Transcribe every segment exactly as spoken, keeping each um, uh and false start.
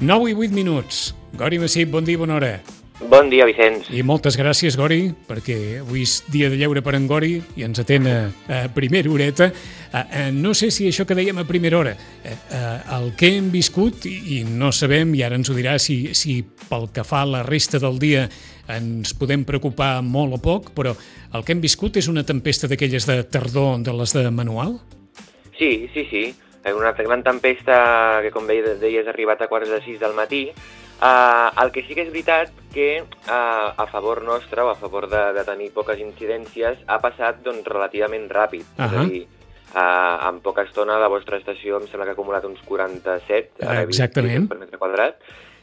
nou i vuit minuts. Gori Massip, bon dia, bona hora. Bon dia, Vicenç. I moltes gràcies, Gori, perquè avui és dia de lleure per en Gori i ens atén a, a primera horeta. A, a, no sé si això que dèiem a primera hora, a, a, el que hem viscut, i, i no sabem, i ara ens ho dirà, si, si pel que fa a la resta del dia ens podem preocupar molt o poc, però el que hem viscut és una tempesta d'aquelles de tardor, de les de manual? Sí, sí, sí. Una gran tempesta que, com deies, ha arribat a quarts de sis del matí. Uh, el que sí que és veritat que uh, a favor nostre, o a favor de, de tenir poques incidències, ha passat doncs, relativament ràpid. Uh -huh. És a dir, uh, en poca estona la vostra estació em sembla que ha acumulat uns quaranta-set uh, exactament per metre quadrat.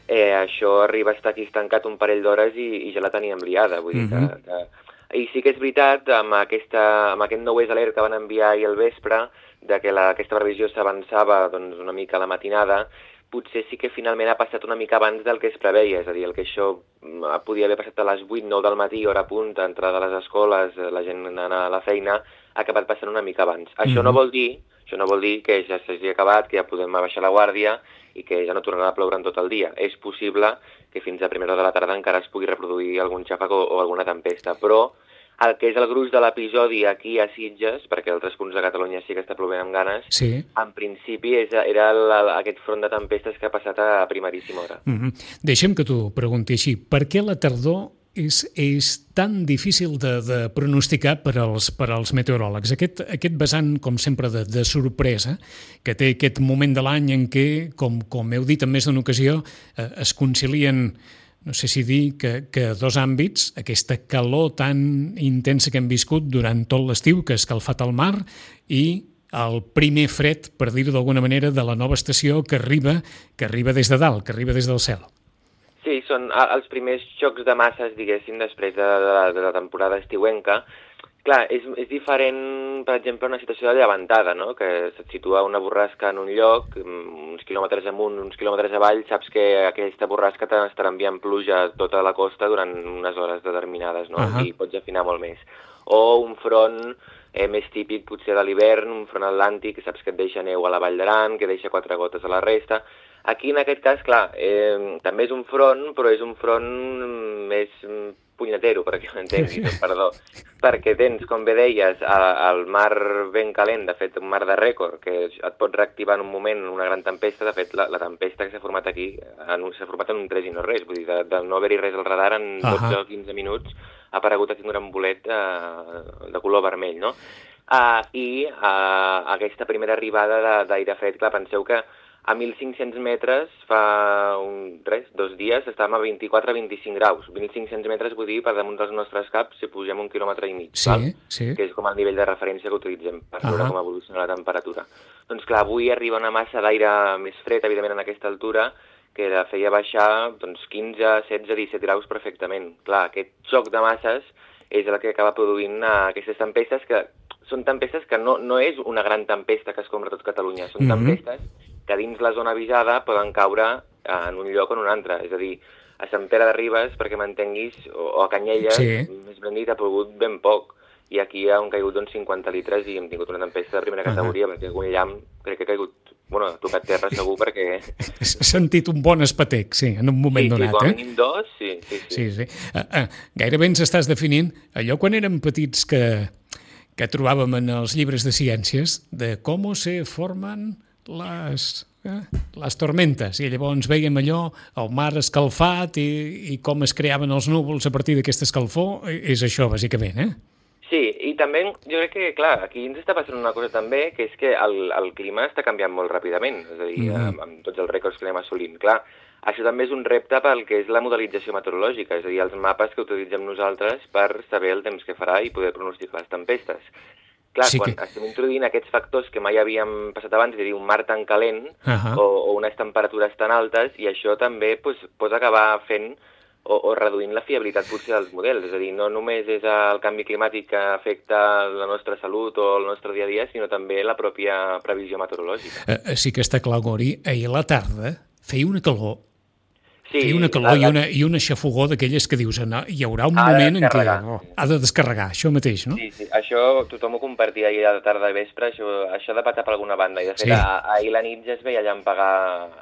Eh, això arriba a estar aquí estancat un parell d'hores i, i ja la teníem liada. Vull dir uh -huh. que, que... I sí que és veritat, amb, aquesta, amb aquest nou alert que van enviar ahir al vespre, de que la, aquesta previsió s'avançava doncs, una mica a la matinada, potser sí que finalment ha passat una mica abans del que es preveia, és a dir, el que això podia haver passat a les vuit, nou del matí, hora punta, entrada a les escoles, la gent anar a la feina, ha acabat passant una mica abans. Mm-hmm. Això no vol dir, això no vol dir que ja s'hagi acabat, que ja podem baixar la guàrdia i que ja no tornarà a ploure en tot el dia. És possible que fins a primera hora de la tarda encara es pugui reproduir algun xàfec o, o alguna tempesta, però el que és el gruix de l'episodi aquí a Sitges, perquè altres punts de Catalunya sí que està plovent amb ganes, sí. En principi és, era la, aquest front de tempestes que ha passat a primeríssima hora. Mm-hmm. Deixa'm que t'ho pregunti així. Per què la tardor és, és tan difícil de, de pronosticar per als, per als meteoròlegs? Aquest, aquest vessant, com sempre, de, de sorpresa, que té aquest moment de l'any en què, com, com heu dit en més d'una ocasió, eh, es concilien... no sé si dir que, que dos àmbits, aquesta calor tan intensa que hem viscut durant tot l'estiu, que ha escalfat el mar, i el primer fred, per dir-ho d'alguna manera, de la nova estació que arriba, que arriba des de dalt, que arriba des del cel. Sí, són els primers xocs de masses, diguéssim, després de, de, la, de la temporada estiuenca. Clar, és, és diferent, per exemple, una situació de llevantada, no? Que se't situa una borrasca en un lloc, uns quilòmetres amunt, uns quilòmetres avall, saps que aquesta borrasca t'estarà enviant pluja a tota la costa durant unes hores determinades, no? Uh-huh. I pots afinar molt més. O un front eh, més típic, potser de l'hivern, un front atlàntic, que saps que et deixa neu a la Vall d'Aran, que deixa quatre gotes a la resta. Aquí, en aquest cas, clar, eh, també és un front, però és un front més punyetero, perquè m'entenguis, perdó, perquè tens, com bé deies, el mar ben calent, de fet, un mar de rècord, que et pot reactivar en un moment una gran tempesta. De fet, la, la tempesta que s'ha format aquí s'ha format en un tres i no res, vull dir, de, de no haver-hi res al radar, en dotze o quinze minuts ha aparegut aquí un gran bolet eh, de color vermell, no? Uh, I uh, aquesta primera arribada d'aire fred, clar, penseu que a mil cinc-cents metres fa un, res, dos dies estàvem a vint-i-quatre a vint-i-cinc graus. mil cinc-cents metres vull dir per damunt dels nostres caps si pugem un quilòmetre i mig, sí, val? Sí. Que és com el nivell de referència que utilitzem per veure uh -huh. com evoluciona la temperatura. Doncs clar, avui arriba una massa d'aire més fred, evidentment, en aquesta altura, que la feia baixar doncs, quinze, setze, disset graus perfectament. Clar, aquest xoc de masses és el que acaba produint uh, aquestes tempestes que són tempestes que no, no és una gran tempesta que escombra tot Catalunya, són mm-hmm. tempestes que dins la zona avisada poden caure en un lloc o en un altre. És a dir, a Sant Pere de Ribes, perquè m'entenguis, o a Canyelles, sí. més ben dit, ha plogut ben poc. I aquí han caigut uns cinquanta litres i hem tingut una tempesta de primera categoria, uh-huh. perquè algun llamp crec que ha caigut, bueno, ha tocat terra segur perquè... He sentit un bon espatec, sí, en un moment sí, donat, sí, com eh? a mínim dos, sí, sí, sí. sí, sí. Uh, uh, gairebé ens estàs definint allò quan érem petits que, que trobàvem en els llibres de ciències, de com se formen les... Eh? les tormentes, i llavors veiem allò, el mar escalfat i, i com es creaven els núvols a partir d'aquesta escalfor. És això, bàsicament, eh? Sí, i també jo crec que, clar, aquí ens està passant una cosa també, que és que el, el clima està canviant molt ràpidament, és a dir, mm-hmm. amb, amb tots els rècords que anem assolint. Clar, això també és un repte pel que és la modelització meteorològica, és a dir, els mapes que utilitzem nosaltres per saber el temps que farà i poder pronosticar les tempestes. Clar, sí quan que... estem introduint aquests factors que mai havíem passat abans, és a dir, un mar tan calent uh-huh. o, o unes temperatures tan altes, i això també pues, pot acabar fent o, o reduint la fiabilitat potser dels models. És a dir, no només és el canvi climàtic que afecta la nostra salut o el nostre dia a dia, sinó també la pròpia previsió meteorològica. Uh, sí que està clar, Gori, ahir a la tarda feia una calor Sí, feia una calor la, la... i una, i una xafogó d'aquelles que dius, no, hi haurà un ha moment en què oh, ha de descarregar, això mateix, no? Sí, sí, això tothom ho compartia ahir a la tarda i vespre, això, això de patar per alguna banda, i de fet Sí. a, ahir la nit ja es veia llampegar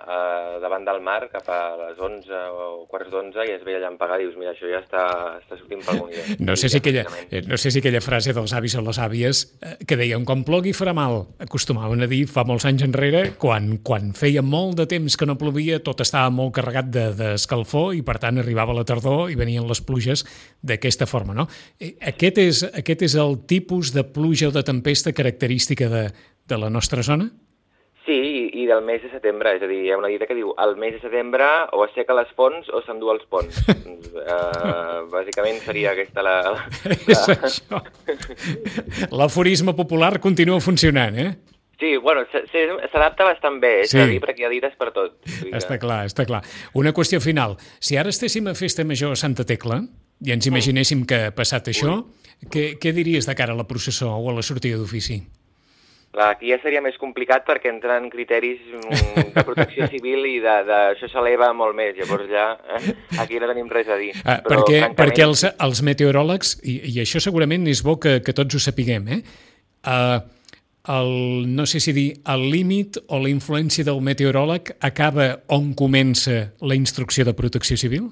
eh, davant del mar cap a les onze o quarts d'onze i es veia llampegar, dius, mira, això ja està, està sortint per algun lloc. No sé, si aquella, no sé si aquella frase dels avis o les àvies eh, que deien, quan plogui farà mal, acostumaven a dir fa molts anys enrere, quan, quan feia molt de temps que no plovia, tot estava molt carregat de, d'escalfor i per tant arribava la tardor i venien les pluges d'aquesta forma, no? Aquest és, aquest és el tipus de pluja o de tempesta característica de, de la nostra zona? Sí, i, i del mes de setembre, és a dir, hi ha una dita que diu el mes de setembre o asseca les fonts o s'endú els ponts. uh, bàsicament seria aquesta la... la... És això. L'aforisme popular continua funcionant, eh? Sí, bueno, s'adapta bastant bé, és sí. a dir, perquè hi ha dites per tot. Està clar, està clar. Una qüestió final. Si ara estéssim a Festa Major a Santa Tecla i ens imaginéssim que ha passat això, què, què diries de cara a la processó o a la sortida d'ofici? Clar, aquí ja seria més complicat perquè entren criteris de protecció civil i de, de, això s'eleva molt més, llavors ja eh, aquí no tenim res a dir. Ah, Però, perquè francament... perquè els, els meteoròlegs, i, i això segurament és bo que, que tots ho sapiguem, eh? Uh, el, no sé si dir, el límit o la influència del meteoròleg acaba on comença la instrucció de protecció civil?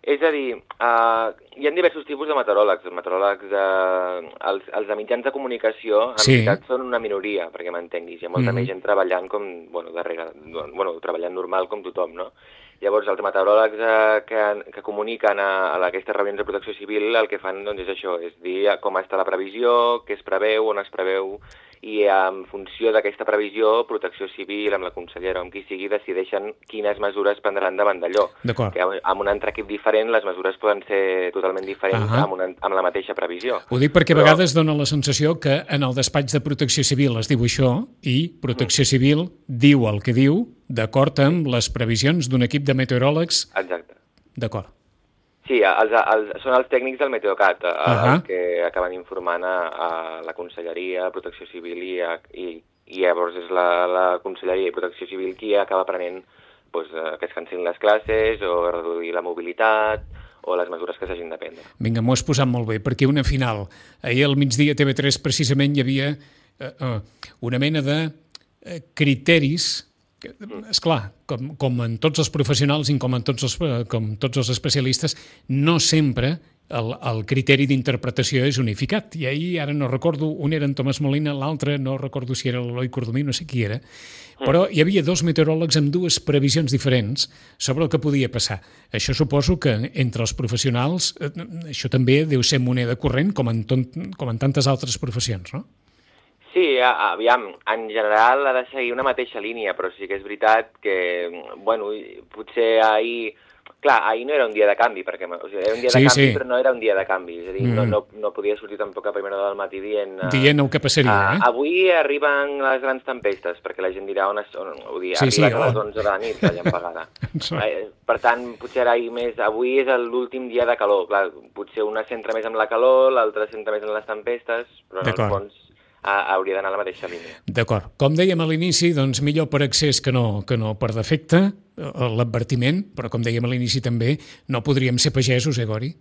És a dir, uh, hi ha diversos tipus de meteoròlegs. Els meteoròlegs, uh, els, els de mitjans de comunicació, en sí. veritat, són una minoria, perquè m'entenguis. Hi ha molta mm. més gent treballant com, bueno, darrere, bueno, treballant normal com tothom, no? Llavors, els meteoròlegs eh, que, que comuniquen a, a aquestes reunions de protecció civil el que fan doncs, és això, és dir com està la previsió, què es preveu, on es preveu, i en funció d'aquesta previsió, Protecció Civil, amb la consellera o amb qui sigui, decideixen quines mesures prendran davant d'allò. Que amb un altre equip diferent les mesures poden ser totalment diferents uh-huh. amb, una, amb la mateixa previsió. Ho dic perquè Però... a vegades dona la sensació que en el despatx de Protecció Civil es diu això i Protecció uh-huh. Civil diu el que diu d'acord amb les previsions d'un equip de meteoròlegs. Exacte. D'acord. Sí, els, els, són els tècnics del Meteocat uh -huh. els que acaben informant a, a la Conselleria de Protecció Civil i, a, i, i llavors és la, la Conselleria de Protecció Civil qui acaba prenent doncs, que es cancel·lin les classes o reduir la mobilitat o les mesures que s'hagin de prendre. Vinga, m'ho has posat molt bé, perquè una final. Ahir al migdia a T V tres precisament hi havia eh, eh, una mena de eh, criteris. És clar, com, com en tots els professionals i com en tots els, com tots els especialistes, no sempre el, el criteri d'interpretació és unificat. I ahir, ara no recordo, un era en Tomàs Molina, l'altre no recordo si era l'Eloi Cordomí, no sé qui era, però hi havia dos meteoròlegs amb dues previsions diferents sobre el que podia passar. Això suposo que entre els professionals, això també deu ser moneda corrent, com en, ton, com en tantes altres professions, no? Sí, aviam, en general ha de seguir una mateixa línia, però sí que és veritat que, bueno, potser ahir... Clar, ahir no era un dia de canvi, perquè o sigui, era un dia sí, de canvi, sí. però no era un dia de canvi. És a dir, mm. no, no, no podia sortir tampoc a primera hora del matí dient... Uh, dient el que passaria, eh? Avui arriben les grans tempestes, perquè la gent dirà on, es, on ho dir, sí, arriben sí, a les onze de la nit, la llampegada. Per tant, potser ara més... Avui és l'últim dia de calor. Clar, potser una centra més amb la calor, l'altra centra més en les tempestes, però en el fons... hauria d'anar a la mateixa línia. D'acord. Com dèiem a l'inici, doncs millor per accés que no, que no per defecte, l'advertiment, però com dèiem a l'inici també, no podríem ser pagesos, eh, Gori?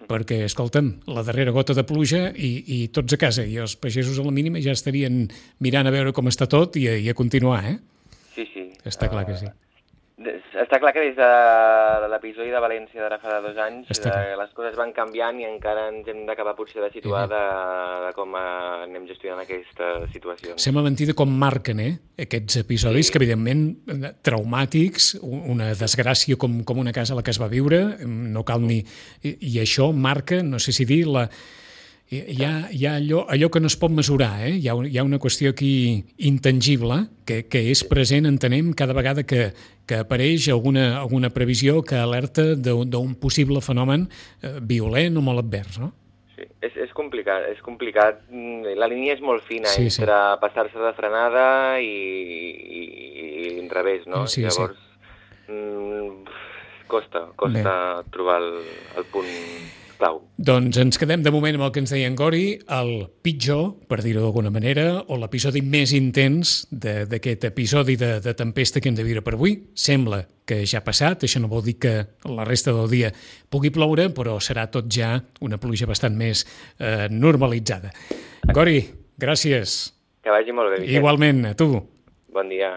Perquè, escolta'm, la darrera gota de pluja i, i tots a casa, i els pagesos a la mínima ja estarien mirant a veure com està tot i a, i a continuar, eh? Sí, sí. Està clar que sí. Està clar que des de l'episodi de València d'ara fa dos anys de, les coses van canviant i encara ens hem d'acabar potser de situar de, de com anem gestionant aquesta situació. Sembla mentida com marquen eh, aquests episodis sí. que evidentment traumàtics, una desgràcia com, com una casa a la que es va viure, no cal ni... I, i això marca, no sé si dir, la... Hi ha, hi ha allò, allò que no es pot mesurar, eh? hi, ha, hi ha una qüestió aquí intangible que, que és present, entenem, cada vegada que, que apareix alguna, alguna previsió que alerta d'un possible fenomen eh, violent o molt advers, no? Sí, és, és complicat, és complicat. La línia és molt fina sí, entre sí. passar-se de frenada i, i, i enrevés, no? Sí, Llavors, sí. Mm, costa, costa Bé. trobar el, el punt... clau. Doncs ens quedem de moment amb el que ens deia en Gori, el pitjor, per dir-ho d'alguna manera, o l'episodi més intens d'aquest episodi de, de tempesta que hem de viure per avui. Sembla que ja ha passat, això no vol dir que la resta del dia pugui ploure, però serà tot ja una pluja bastant més eh, normalitzada. Gori, gràcies. Que vagi molt bé, Vicent. Igualment, a tu. Bon dia.